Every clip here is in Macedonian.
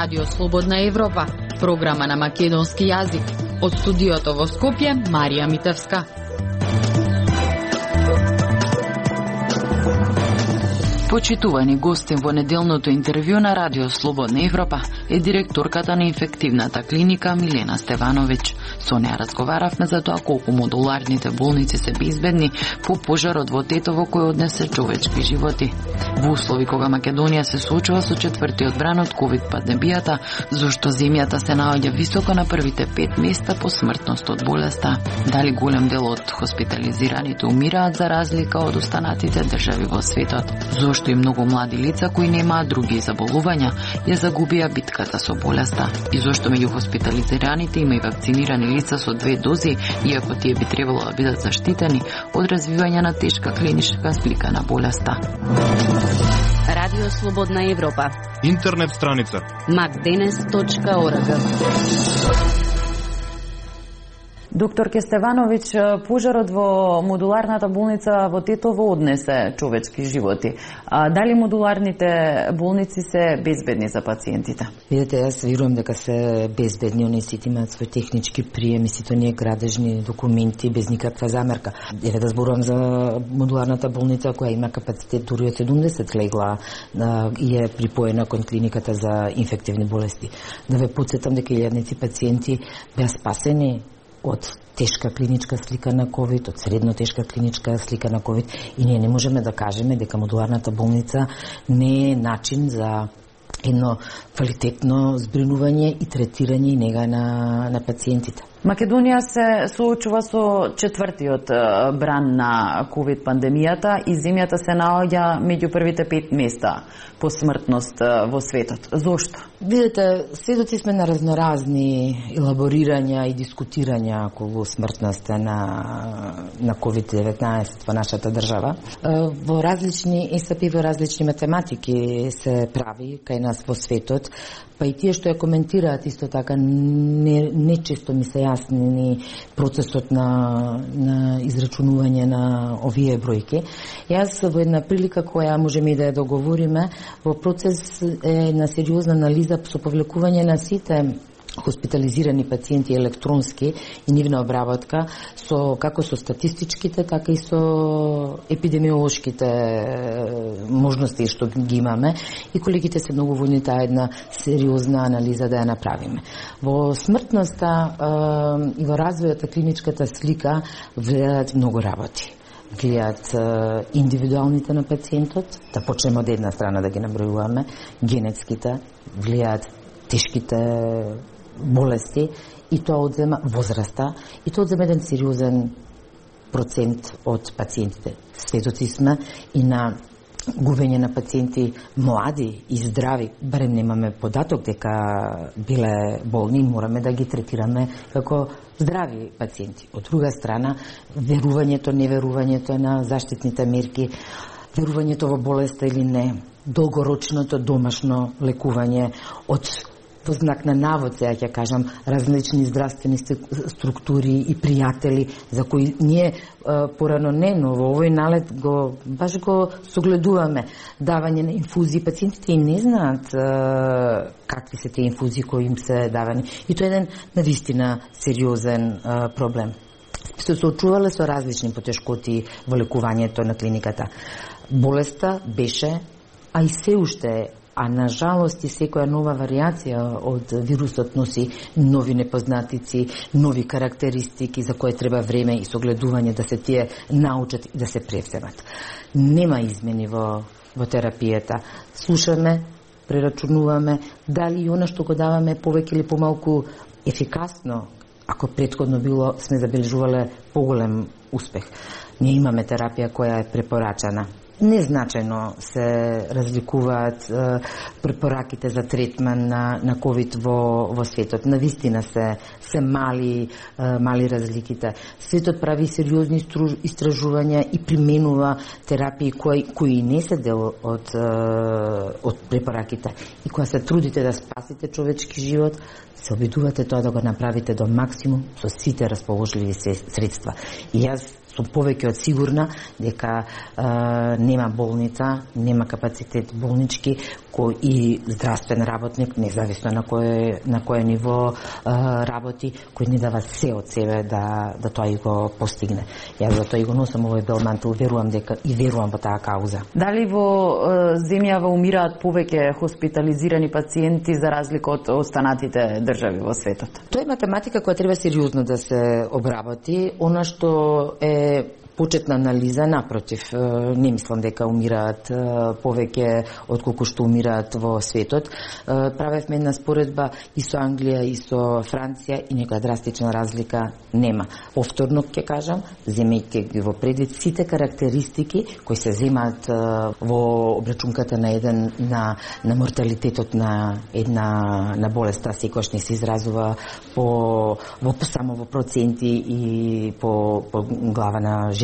Радио Слободна Европа, програма на македонски јазик. Од студиото во Скопје, Марија Митевска. Почитувани гостин во неделното интервју на Радио Слободна Европа е директорката на инфективната клиника Милена Стевановиќ. Со неја разговаравме за тоа колку модуларните болници се безбедни по пожарот во Тетово кој однесе човечки животи. Во услови кога Македонија се соочува со четвртиот бран од ковид пандемијата, зошто земјата се наоѓа високо на првите 5 места по смртност од болеста. Дали голем дел од хоспитализираните умираат за разлика од останатите држави во светот? Зошто и многу млади лица кои немаат други заболувања ја загубија битката со болеста? И зошто меѓу хоспитализираните има и вакцинирани лица со 2 дози, иако тие би требало да бидат заштитени од развивање на тешка клиничка слика на болеста? Радио Слободна Европа. Интернет страница macdenes.org. Доктор Стевановиќ, пожарот во модуларната болница во Тетово однесе човечки животи. Дали модуларните болници се безбедни за пациентите? Видете, јас верувам дека се безбедни, они сите имаат свој технички прием и сите оние градежни документи без никаква замерка. Еве да зборувам за модуларната болница која има капацитет дури од 70 легла и е припоена кон клиниката за инфективни болести. Да ве потсетам дека илјадници пациенти беа спасени од тешка клиничка слика на ковид, од средно тешка клиничка слика на ковид, и ние не можеме да кажеме дека модуларната болница не е начин за едно квалитетно збринување и третирање и нега на пациентите. Македонија се соочува со четвртиот бран на ковид пандемијата и земјата се наоѓа меѓу првите 5 места по смртност во светот. Зошто? Видете, сведоци сме на разноразни елаборирања и дискутирања околу смртноста на COVID-19 во нашата држава. Во различни ЕСП, во различни математики се прави кај нас во светот, па и тие што ја коментираат исто така не често ми се јасни ни процесот на израчунување на овие бројки. Јас во една прилика која можеме и да ја договориме, во процес на сериозна анализа со повлекување на сите хоспитализирани пациенти електронски и нивна обработка како со статистичките, така и со епидемиолошките можности што ги имаме, и колегите се многу војни таа една сериозна анализа да ја направиме. Во смртноста и во развојот на клиничката слика влијаат многу работи. Гледаат индивидуалните на пациентот, да почнеме од една страна да ги набројуваме, генетските, влијаат тешките болести, и тоа одзема возраста, и тоа одзема еден сериозен процент од пациентите. Сведоци сме и на губење на пациенти млади и здрави, барем немаме податок дека биле болни, мораме да ги третираме како здрави пациенти. Од друга страна, верувањето, неверувањето на заштитните мерки, верувањето во болеста или не, долгорочното домашно лекување од во знак на навод, сега ќе кажам, различни здравствени структури и пријатели за кои ние порано но во овој налет баш го согледуваме давање на инфузии. Пациентите и не знаат какви се тие инфузии кои им се давани. И тоа е еден навистина сериозен проблем. Се соочувале со различни потешкоти во лекувањето на клиниката. Болеста беше, а и се уште, а на жалост и секоја нова варијација од вирусот носи нови непознатици, нови карактеристики за кои треба време и согледување да се тие научат и да се превземат. Нема измени во терапијата. Слушаме, прерачунуваме дали и она што го даваме повеќе или помалку ефикасно, ако претходно било сме забележувале поголем успех. Ние имаме терапија која е препорачана. Незначајно се разликуваат препораките за третман на ковид во светот. Навистина се мали разликите. Светот прави сериозни истражувања и применува терапии кои не се дел од препораките. И кога се трудите да спасите човечки живот, се обидувате тоа да го направите до максимум со сите расположливи средства. И јас сум повеќе од сигурна дека нема болница, нема капацитет болнички и здравствен работник, независно на кое ниво работи, кој ни дава се од себе да тоа и го постигне. Јас затоа и го носам овој бел мантил, верувам во таа кауза. Дали во земјава умираат повеќе хоспитализирани пациенти за разлика од останатите држави во светот? Тоа е математика која треба сериозно да се обработи. Она што е почетна анализа, напротив, не мислам дека умираат повеќе отколку што умираат во светот. Правевме една споредба и со Англија и со Франција и некоја драстична разлика нема. Повторно ќе кажам, земејќи ги во предвид сите карактеристики кои се земаат во обрачунката на морталитетот на една болест, секогаш не се изразува само во проценти и по глава на жител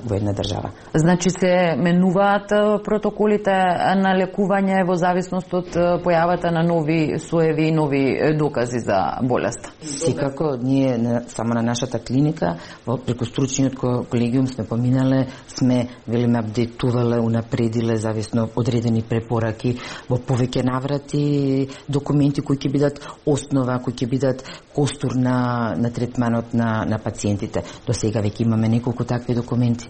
во една држава. Значи се менуваат протоколите на лекување во зависност од појавата на нови соеви и нови докази за болест? Секако, ние само на нашата клиника, преку стручниот колегиум сме поминале, сме апдейтувале, унапредиле зависно одредени препораки во повеќе наврати, документи кои ќе бидат основа, кои ќе бидат костур на третманот на пациентите. До сега веќе имаме неколку такви документи.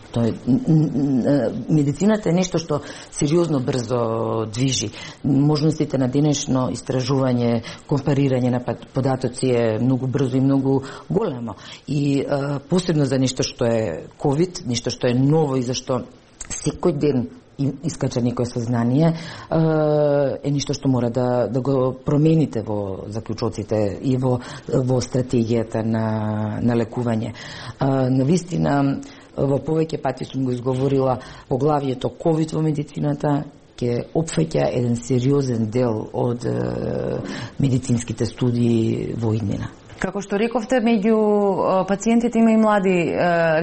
Медицината е нешто што сериозно брзо движи. Можностите на денешно истражување, компарирање на податоци е многу брзо и многу големо. И посебно за нешто што е COVID, нешто што е ново и зашто секој ден искача некој сознание, е нешто што мора да го промените во заклучоците и во стратегијата на лекување. Навистина, во повеќе пати сум го изговорила, поглавието COVID во медицината ќе опфаќа еден сериозен дел од медицинските студии во иднина. Како што рековте, меѓу пациентите има и млади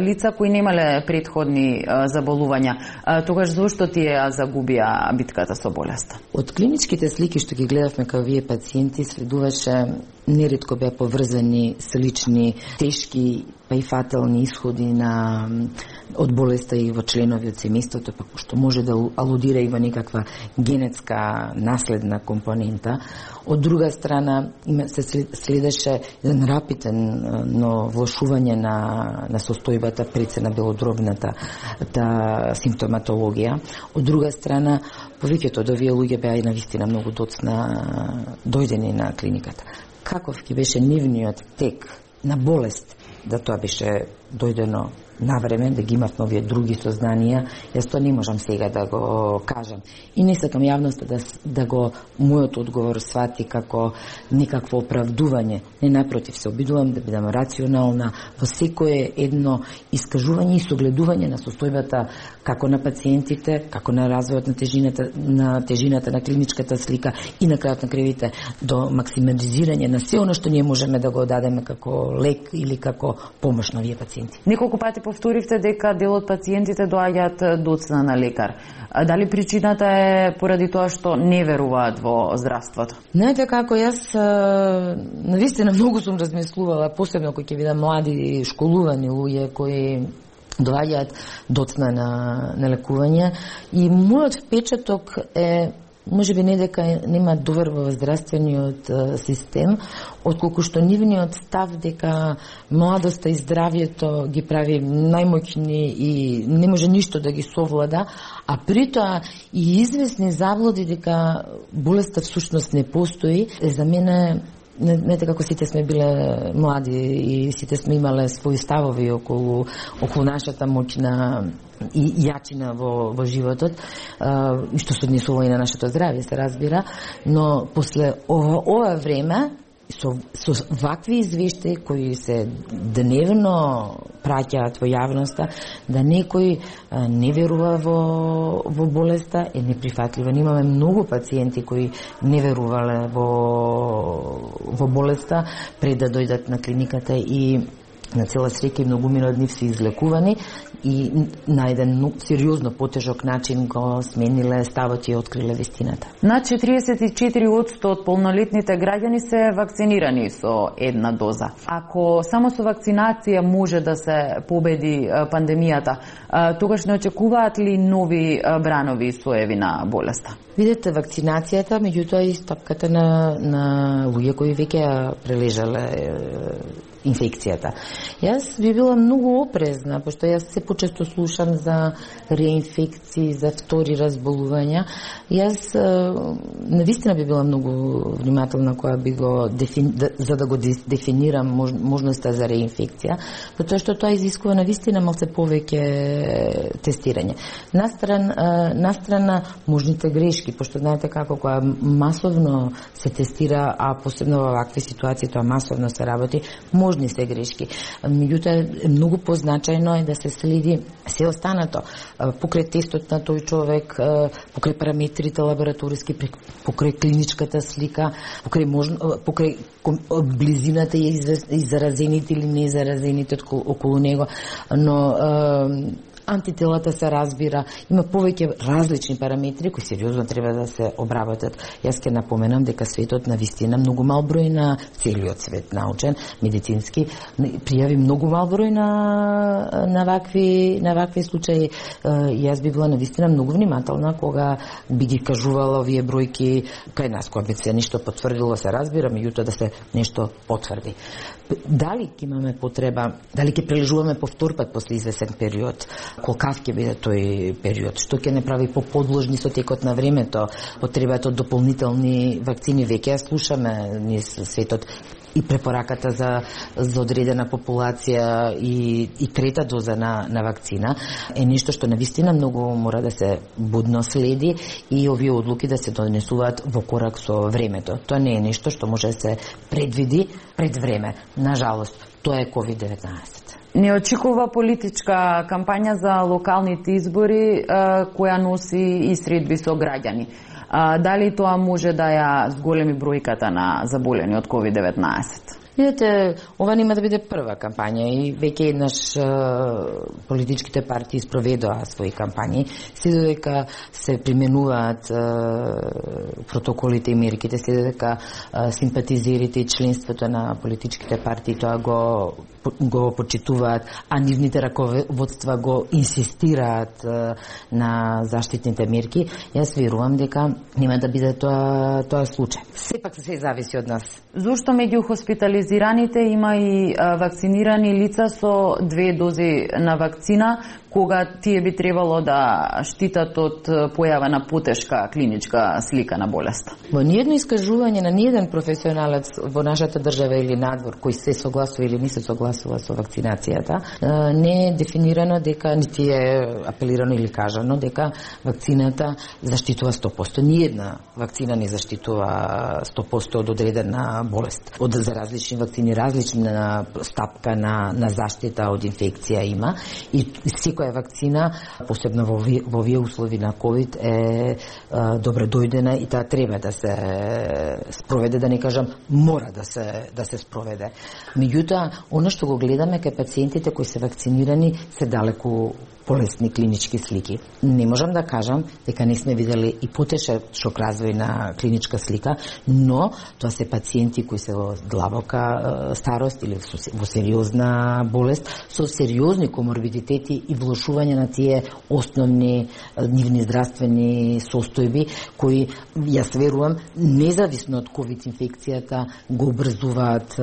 лица кои немале претходни заболувања. Тогаш зошто тие загубија битката со болеста? Од клиничките слики што ги гледавме као вие пациенти, следуваше неретко беа поврзани слични, тешки па и фатални исходи од болеста и во членови од семејството, па што може да алудира и во некаква генетска наследна компонента. Од друга страна, се следеше еден рапидно влошување на состојбата пред се на белодробната симптоматологија. Од друга страна, повеќето од овие луѓе беа и навистина многу доцна дојдени на клиниката. Каков ќе беше нивниот тек на болест, да тоа беше дојдено на време, да ги имавме овие други сознанија, јас тоа не можам сега да го кажам. И не сакам јавноста да го мојот одговор свати како некакво оправдување. Не, напротив, се обидувам да бидам рационална во секое едно искажување и согледување на состојбата како на пациентите, како на развојот на тежината на клиничката слика и на крајот на кривите до максимализирање на се оно што ние можеме да го дадеме како лек или како помош на овие пациенти. Неколку пати повторивте дека дел од пациентите доаѓаат доцна на лекар. Дали причината е поради тоа што не веруваат во здравството? Знаете како, јас навистина многу сум размислувала, посебно кои ќе видам млади школувани луѓе кои доаѓаат доцна на лекување, и мојот впечаток е можеби не дека нема доверба во здравствениот систем, отколку што нивниот став дека младоста и здравието ги прави најмоќни и не може ништо да ги совлада, а притоа и известни заблуди дека болеста всушност не постои, за мене не како сите сме биле млади и сите сме имале своји ставови околу нашата моќна и јачина во животот, и што се однесува и на нашето здравје, се разбира, но после ова време со вакви извештаи кои се дневно праќаат во јавноста, да некој не верува во болеста е неприфатливо. Имаме многу пациенти кои не верувале во болеста пред да дојдат на клиниката и на цела среќа и многумина од нив се излекувани и на еден сериозно потежок начин го смениле ставот и откриле вистината. Над 44% од полнолетните граѓани се вакцинирани со една доза. Ако само со вакцинација може да се победи пандемијата, тогаш не очекуваат ли нови бранови соеви на болеста? Видете, вакцинацијата, меѓутоа и стапката на луѓе кои веќе ја прележале инфекцијата. Јас би била многу опрезна, пошто јас се почесто слушам за реинфекции, за втори разболувања. Јас навистина би била многу внимателна која би го за да го дефинирам можноста за реинфекција, затоа што тоа изискува навистина малце повеќе тестирање. Настрана можните грешки, пошто знаете како која масовно се тестира, а посебно во вакви ситуации тоа масовно се работи, можни се грешки. Меѓутоа, многу позначајно е да се следи се останато покрај тестот на тој човек, покрај параметрите лабораториски, покрај клиничката слика, покрај близината и заразените или незаразените околу него, но антителата се разбира, има повеќе различни параметри кои сериозно треба да се обработат. Јас ќе напоменам дека светот на вистина многу мал број на целиот свет научен, медицински, пријави многу мал број на вакви случаи. Јас би била на вистина многу внимателна кога би ги кажувала овие бројки кај нас, кога би се нешто потврдило, се разбира, меѓутоа да се нешто потврди. Дали ќе имаме потреба, дали ќе прележуваме повтор пат после извесен период, колкав ќе биде тој период, што ќе не прави поподложни со текот на времето, потребата од дополнителни вакцини, веќе ја слушаме низ светот и препораката за одредена популација и трета доза на вакцина е нешто што навистина многу мора да се будно следи и овие одлуки да се донесуваат во корак со времето. Тоа не е нешто што може да се предвиди пред време. Нажалост, тоа е COVID-19. Не очекува политичка кампања за локалните избори која носи и средби со граѓани. Дали тоа може да ја зголеми бројката на заболени од COVID-19? Видете, ова нема да биде прва кампања и веќе еднаш политичките партии спроведоа своји кампањи, се додека се применуваат протоколите и мерките, се додека симпатизерите и членството на политичките партии тоа го почитуваат, а нивните раководства го инсистираат на заштитните мерки, јас верувам дека нема да биде тоа случај. Сепак се зависи од нас. Зошто меѓу хоспитализираните има и вакцинирани лица со 2 дози на вакцина, кога тие би требало да штитат од појава на потешка клиничка слика на болеста? Во ниедно искажување на ниеден професионалец во нашата држава или надвор кој се согласува или не се согласува со вакцинацијата, не е дефинирано дека, нити е апелирано или кажано дека вакцината заштитува 100%. Ниедна вакцина не заштитува 100% од одредена болест. За различни вакцини, различна стапка на заштита од инфекција има и секоја вакцина, посебно во овие услови на COVID, е добро дојдена и таа треба да се спроведе, да не кажам мора да се спроведе. Меѓутоа, она што го гледаме кај пациентите кои се вакцинирани се далеку полесни клинички слики. Не можам да кажам дека не сме видели и потешок развој на клиничка слика, но тоа се пациенти кои се во длабока старост или во сериозна болест, со сериозни коморбидитети и влошување на тие основни нивни здравствени состојби, кои, јас верувам, независно од COVID инфекцијата, го обрзуваат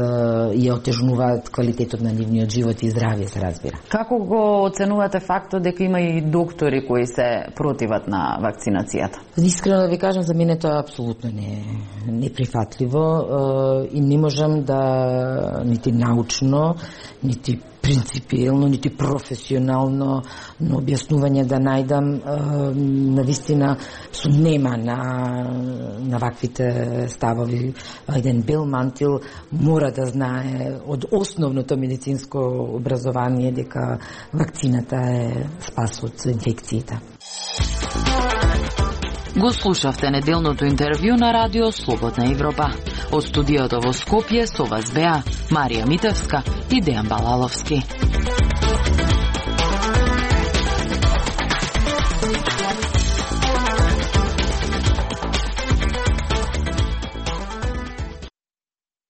и отежнуваат квалитетот на нивниот живот и здравје, се разбира. Како го оценувате фактот дека има и доктори кои се противат на вакцинацијата? Искрено да ви кажам, за мене тоа апсолутно не е неприфатливо и не можам да нити научно, нити принципиелно, нити професионално на објаснување да најдам навистина сумнема на ваквите ставови. Еден бел мантил мора да знае од основното медицинско образование дека вакцината е спас од инфекциите. Го слушавте неделното интервју на Радио Слободна Европа. Од студиото во Скопје со вас беа Марија Митевска и Дејан Балаловски.